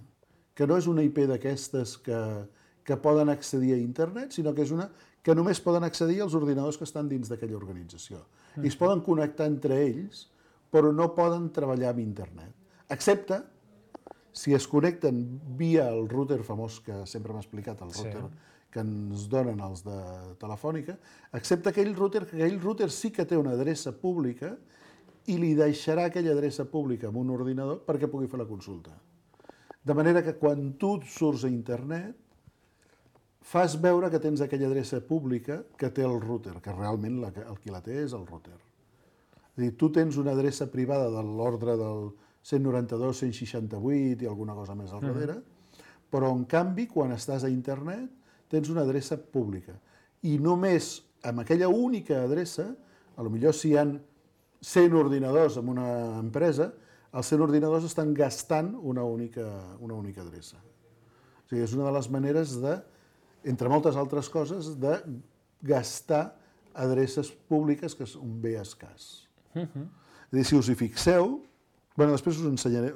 [SPEAKER 13] que no és una IP d'aquestes que poden accedir a internet, sinó que és una que només poden accedir als ordinadors que estan dins d'aquella organització. I es poden connectar entre ells, però no poden treballar amb internet. Excepte si es connecten via el router famós que sempre m'ha explicat, el router que ens donen els de Telefònica, excepte aquell router sí que té una adreça pública i li deixarà aquella adreça pública en un ordinador perquè pugui fer la consulta. De manera que quan tu surts a internet, fas veure que tens aquella adreça pública que té el router, que realment el qui la té és el router. És a dir, tu tens una adreça privada de l'ordre del 192, 168 i alguna cosa més al darrere, però en canvi, quan estàs a internet, tens una adreça pública. I només amb aquella única adreça, potser si hi ha 100 ordinadors en una empresa, els 100 ordinadors estan gastant una única adreça. O sigui, és una de les maneres de, entre moltes altres coses, de gastar adreces públiques, que és un bé escàs. És a dir, si us hi fixeu, després us ensenyaré,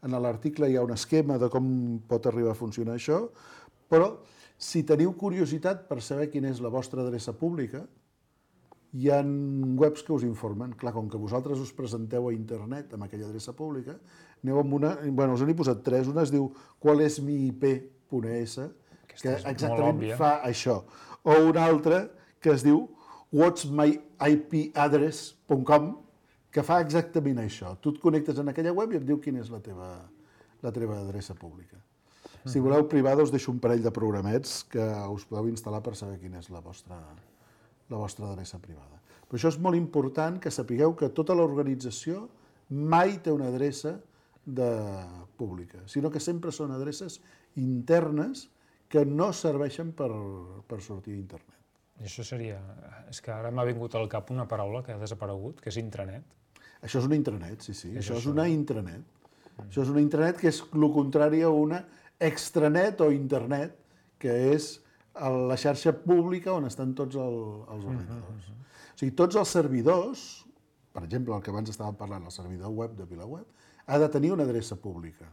[SPEAKER 13] en l'article hi ha un esquema de com pot arribar a funcionar això, però si teniu curiositat per saber quina és la vostra adreça pública, hi ha webs que us informen. Clar, com que vosaltres us presenteu a internet amb aquella adreça pública, aneu amb una... us n'he posat 3. Una es diu qual és mi IP.es, que exactament fa això. O una altra que es diu what's my ipaddress.com, que fa exactament això. Tu et connectes en aquella web i et diu quina és la teva adreça pública. Si voleu privada, us deixo un parell de programets que us podeu instal·lar per saber quina és la vostra adreça privada. Però això és molt important que sapigueu que tota l'organització mai té una adreça pública, sinó que sempre són adreces internes que no serveixen per sortir a internet.
[SPEAKER 2] I això seria... És que ara m'ha vingut al cap una paraula que ha desaparegut, que és intranet.
[SPEAKER 13] Això és una intranet, sí. Això és una intranet. Això és una intranet que és el contrari a una extranet o internet, que és la xarxa pública on estan tots els ordinadors. O sigui, tots els servidors, per exemple, el que abans estàvem parlant, el servidor web de VilaWeb, ha de tenir una adreça pública,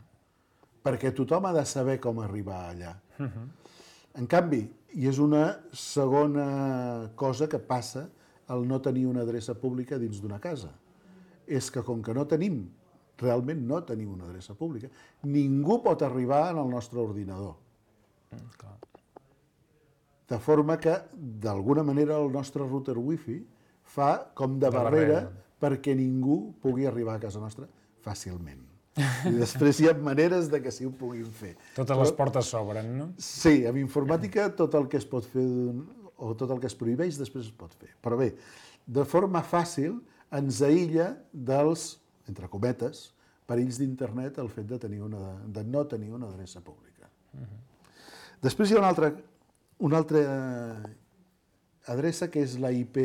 [SPEAKER 13] perquè tothom ha de saber com arribar allà. En canvi, i és una segona cosa que passa al no tenir una adreça pública dins d'una casa, és que com que realment no tenim una adreça pública, ningú pot arribar al nostre ordinador. De forma que, d'alguna manera, el nostre router wifi fa com de barrera perquè ningú pugui arribar a casa nostra fàcilment. I després hi ha maneres de que sí ho puguin fer.
[SPEAKER 2] Totes les portes s'obren, no?
[SPEAKER 13] Sí, amb informàtica tot el que es pot fer o tot el que es prohibeix després es pot fer. Però bé, de forma fàcil ens aïlla dels, entre cometes, perills d'internet el fet de no tenir una adreça pública. Després hi ha una altra adreça que és la IP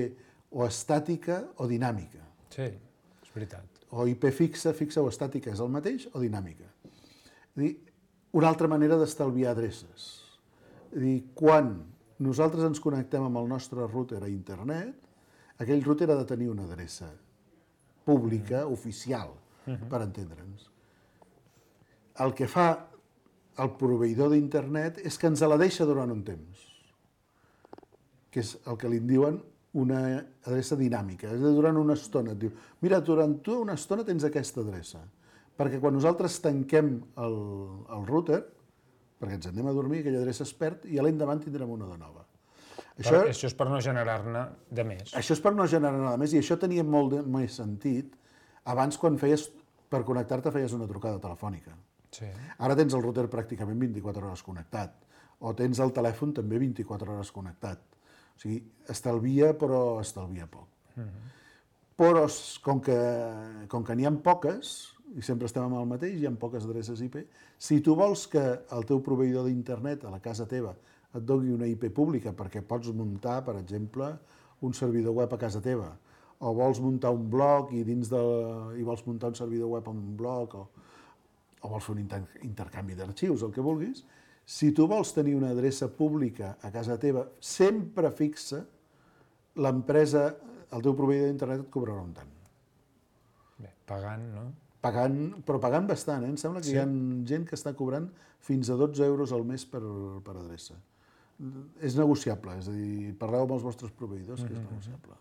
[SPEAKER 13] o estàtica o dinàmica.
[SPEAKER 2] Sí, és veritat.
[SPEAKER 13] O IP fixa o estàtica és el mateix, o dinàmica. És dir, una altra manera d'estalviar adreces. És dir, quan nosaltres ens connectem amb el nostre router a internet, aquell router ha de tenir una adreça pública, oficial, per entendre'ns. El que fa el proveïdor d'internet és que ens la deixa durant un temps, que és el que li diuen una adreça dinàmica. És a dir, durant una estona et diu, mira, durant tu una estona tens aquesta adreça, perquè quan nosaltres tanquem el router, perquè ens anem a dormir, aquella adreça es perd i l'endavant tindrem una de nova.
[SPEAKER 2] Això és per no generar-ne de més.
[SPEAKER 13] Això és per no generar-ne de més, i això tenia molt més sentit abans quan per connectar-te feies una trucada telefònica. Ara tens el router pràcticament 24 hores connectat, o tens el telèfon també 24 hores connectat. O sigui, estalvia, però estalvia poc. Però com que n'hi ha poques, i sempre estem amb el mateix, hi ha poques adreces IP. Si tu vols que el teu proveïdor d'internet a la casa teva et doni una IP pública perquè pots muntar, per exemple, un servidor web a casa teva, o vols muntar un blog i vols muntar un servidor web en un blog, o vols fer un intercanvi d'arxius, el que vulguis, si tu vols tenir una adreça pública a casa teva sempre fixa, l'empresa, el teu proveïdor d'internet et cobrarà un tant.
[SPEAKER 2] Bé, pagant, no?
[SPEAKER 13] Però pagant bastant, Em sembla que hi ha gent que està cobrant fins a 12 euros al mes per adreça. És negociable, és a dir, parleu amb els vostres proveïdors, que és negociable.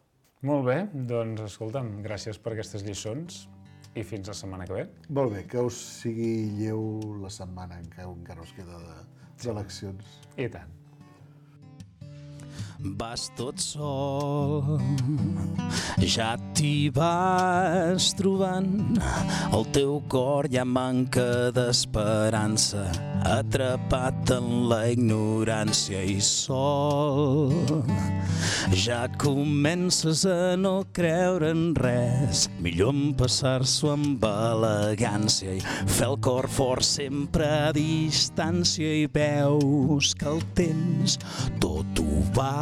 [SPEAKER 2] Molt bé, doncs escolta'm, gràcies per aquestes lliçons i fins la setmana que ve.
[SPEAKER 13] Molt bé, que us sigui lleu la setmana en què encara us queda d'eleccions.
[SPEAKER 2] I tant.
[SPEAKER 14] Vas tot sol, ja t'hi vas trobant, el teu cor ja manca d'esperança, atrapat en la ignorància i sol. Ja comences a no creure en res, millor empassar-s'ho amb elegància i fer el cor fort sempre a distància i veus que el temps tot ho va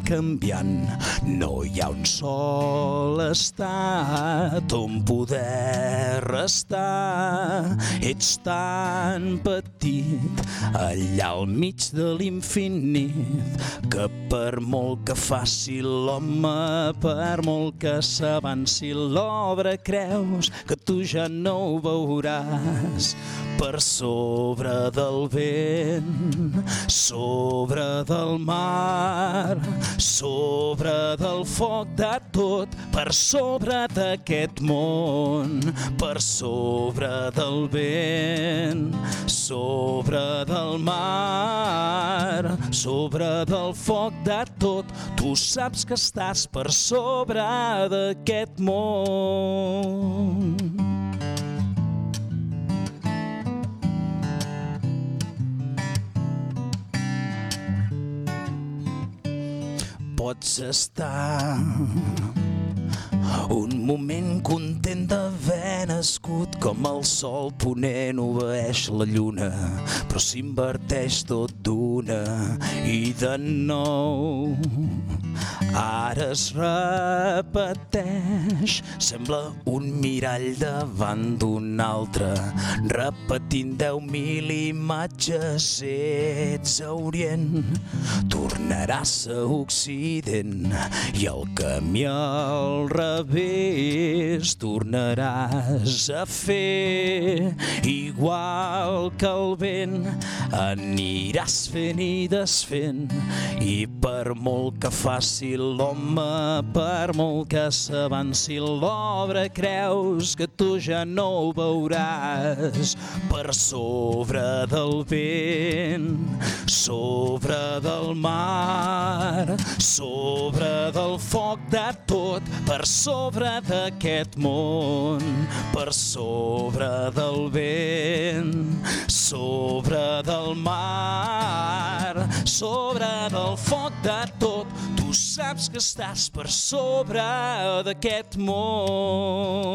[SPEAKER 14] canviant. No hi ha un sol estat on poder restar. Ets tan petit allà al mig de l'infinit que per molt que faci l'home, per molt que s'avanci l'obra, creus que tu ja no ho veuràs. Per sobre del vent, sobre del mar, sobre del foc de tot, per sobre d'aquest món, per sobre del vent, sobre del mar, sobre del foc de tot, tu saps que estàs per sobre d'aquest món. Pots estar un moment content d'haver nascut, com el sol ponent obeeix la lluna, però s'inverteix tot d'una i de nou. Ara es repeteix, sembla un mirall davant d'un altre, repetint 10.000 imatges. Ets a Orient, tornaràs a Occident, i el camí al revés tornaràs a fer. Igual que el vent aniràs fent i desfent, i per molt que faci l'home, per molt que s'avanci l'obra, creus que tu ja no ho veuràs. Per sobre del vent, sobre del mar, sobre del foc de tot, per sobre d'aquest món, per sobre del vent, sobre del mar, sobre del foc de tot, tu saps que estàs per sobre d'aquest món.